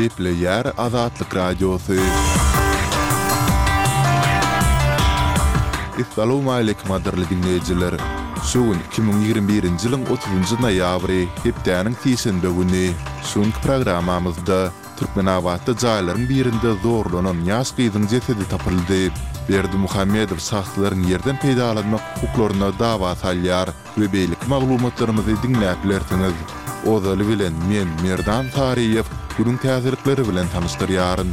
Gepleýär Azatlyk Radiosy. Essalawmaleýkim gadyrly diňleýjiler! Şu gün 2021-nji ýylyň otuzynjy noýabry, hepdäniň sişenbe güni. Şu günki programmamyzda Türkmenabatda jaýlaryň birinde zorlanan ýaş gyzyň jesedi tapyldy. Berdimuhamedow şahslaryň ýerden peýdalanmak hukuklaryna dawa salýar we beýleki maglumatlarymyzy diňläp bilersiňiz. Ozaly bilen men, Merdan Saryýew, günüň täzelikleri bilen tanyşdyrýaryn.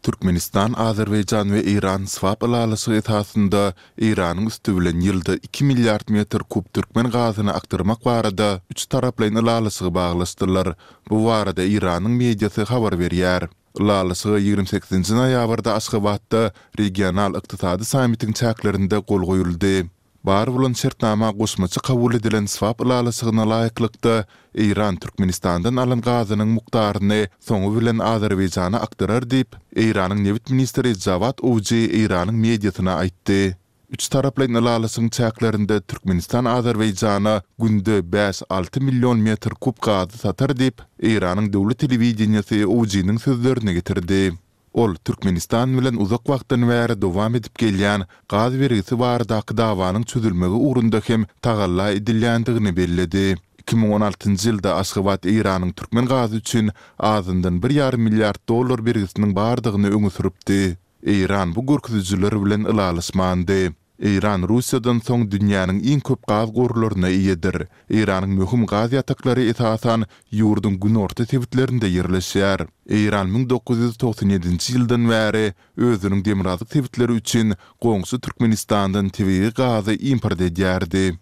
Türkmenistan, Azerbaýjan we Eýran swap ylalaşygy esasynda Eýranyň üsti bilen ýylda iki milliard metr kub türkmen gazyny akdyrmak barada üç taraplaýyn ylalaşygy baglaşdylar. Bu barada Eýranyň mediasy habar berýär. Ylalaşyga 28-nji noýabrda Aşgabatda regional ykdysady sammitiň çäklerinde gol goýuldy. Bar bolan şertnama goşmaça kabul edilen swap ylalaşygyna laýyklykda, Eýran Türkmenistandan alan gazynyň mukdaryny soňy bilen Azerbaýjana akdyrar diýip, Eýranyň nebit ministri Jawad Owji Eýranyň mediasyna aýtdy. Üç taraplaýyn ylalaşygyň çäklerinde Türkmenistan Azerbaýjana günde bäş-alty million metr kub gazy satar diýip, Eýranyň döwlet telewideniýesi Owjiniň sözlerini getirdi. Ol Türkmenistan bilen uzak wagtdan bäri dowam edip gelýän gaz bergisi baradaky dawanyň çözülmegi ugrunda hem tagalla edilýändigini belledi. 2016-njy ýylda Aşgabat Eýranyň türkmen gazy üçin azyndan bir ýarym milliard dollar bergisiniň bardygyny öňe sürüpdi. Eýran bu görkezijiler bilen ylalaşmandy. Eýran Russiýadan soň dünýäniň iň köp gaz gorlaryna eýedir. Eýranyň möhüm gaz ýataklary esasan ýurduň günorta sebitlerinde ýerleşýär. Eýran 1997-nji ýyldan bäri özüniň demirgazyk sebitleri üçin goňşy Türkmenistandan tebigy gazy import edýärdi.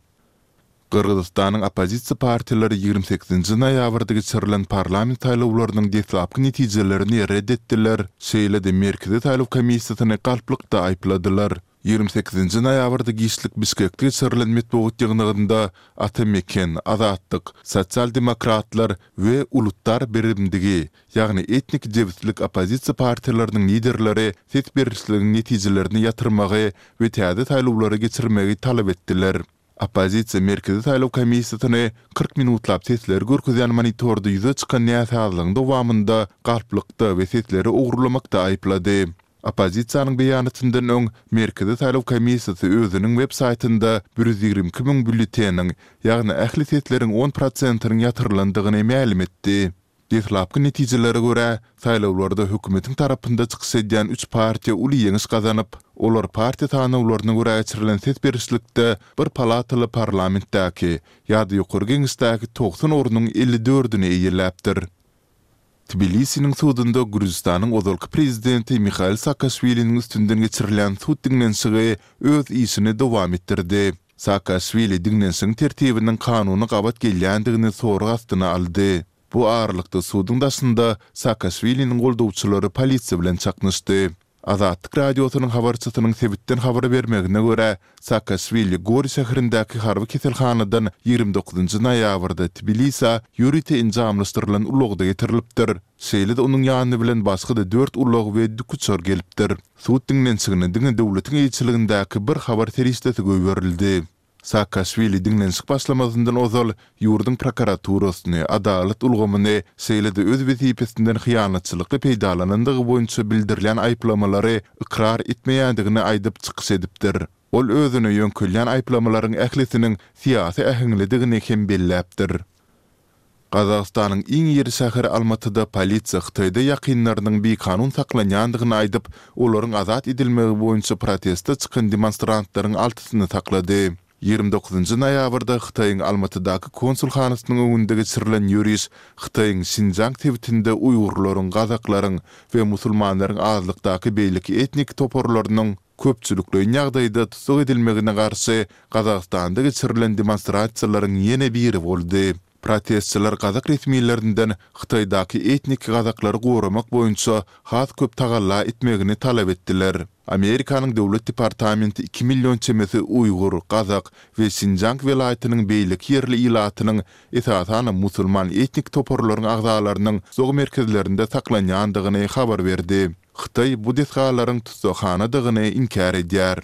Gyrgyzystanyň oppozisiýa partiýalary 28-nji noýabrda geçirilen parlament saýlawlarynyň deslapky netijelerini ret etdiler, şeýle-de Merkezi saýlaw komissiýasyny galplykda aýypladylar. 28-nji noýabrda giçlik Bişkekde geçirilen metbugat ýygnagynda Ata Meken, Azatlyk, Sosial demokratlar we Ulutdar Birimdigi, ýagny etnik jebislik oppozisiýa partiýalarynyň liderleri ses berişligiň netijelerini ýatyrmagy we täze saýlawlary geçirmegi talap etdiler. Oppozisiýa Merkezi saýlaw komissiýasyny 40 minutlap sesleri görkezýän monitorda ýüze çykan näsazlygyň dowamynda galplykda we sesleri ogurlamakda aýyplady. Oppozisiýanyň beýanatyndan öň Merkezi saýlaw komissiýasy özüniň web saýtynda 122 müň býulleteniň, ýagny ähli sesleriň on prosentiniň ýatyrylandygyny mälim etdi. Deslapky netijelere görä, saýlawlarda hökümetiň tarapynda çykyş edýän üç partiýa uly ýeňiş gazanyp, olar partiýa sanawlaryna görä geçirilen ses berişlikde bir palataly parlamentdäki ýa-da Ýokary Geňeşdäki 90 ornuň elli dördüni eýeläpdir. Tbilisiniň sudunda Gürjüstanyň ozalky prezidenti Mihail Saakaşwiliniň üstünden geçirilýän sud diňlenişigi öz işini dowam etdirdi. Saakaşwili diňlenişigiň tertibiniň kanuna gabat gelýändigini sorag astyna aldy. Bu aralykda suduň daşynda Saakaşwiliniň goldawçylary polisiýa bilen çaknyşdy. Azatlyk Radiosynyň habarçysynyň sebitden habar bermegine görä, Saakaşwili Gori şäherindäki harby keselhanadan 29-njy noýabrda Tbilisä ýörite enjamlaşdyrylan ulagda getirilipdir. Şeýle-de onuň ýany bilen başga-da dört ulag we dikuçar gelipdir. Sud diňlenişigine diňe döwletiň eýeçiligindäki bir habar serişdesi goýberildi. Saakaşwili diňlenişik başlamazyndan ozal ýurduň prokuraturasyny, adalat ulgamyny, şeýle-de öz wezipesinden hyýanatçylykly peýdalanandygy boýunça bildirilýän aýyplamalary ykrar etmeýändigini aýdyp çykyş edipdir. Ol özüne ýöňkelýän aýyplamalaryň ählisiniň syýasy äheňlidigini hem belläpdir. Gazagystanyň iň iri şäheri Almatyda polisiýa Hytaýda ýakynlarynyň bikanun saklanýandygyny aýdyp, olaryň azat edilmegi boýunça proteste çykan demonstrantlaryň altysyny saklady. 29-njy noýabrda Hytaýyň Almatydaky konsulhanasynyň öňünde geçirilen ýöriş Hytaýyň Şinjiang sebitinde uýgurlaryň, gazaklaryň we musulmanlaryň azlykdaky beýleki etnik toparlarynyň köpçülikleýin ýagdaýda tussag edilmegine garşy Gazagystanda geçirilen demonstrasiýalaryň ýene biri boldy. Protestçiler gazak resmilerinden Hytaýdaky etnik gazaklary goramak boýunça has köp tagalla etmegini talap etdiler. Amerikanyň Döwlet departamenti iki million çemesi uýgur, gazak we Şinjiang welaýatynyň beýleki ýerli ilatynyň, esasanam musulman etnik toparlaryň agzalarynyň tussag merkezlerinde saklanýandygyny habar berdi. Hytaý bu desgalaryň tussaghanadygyny inkär edýär.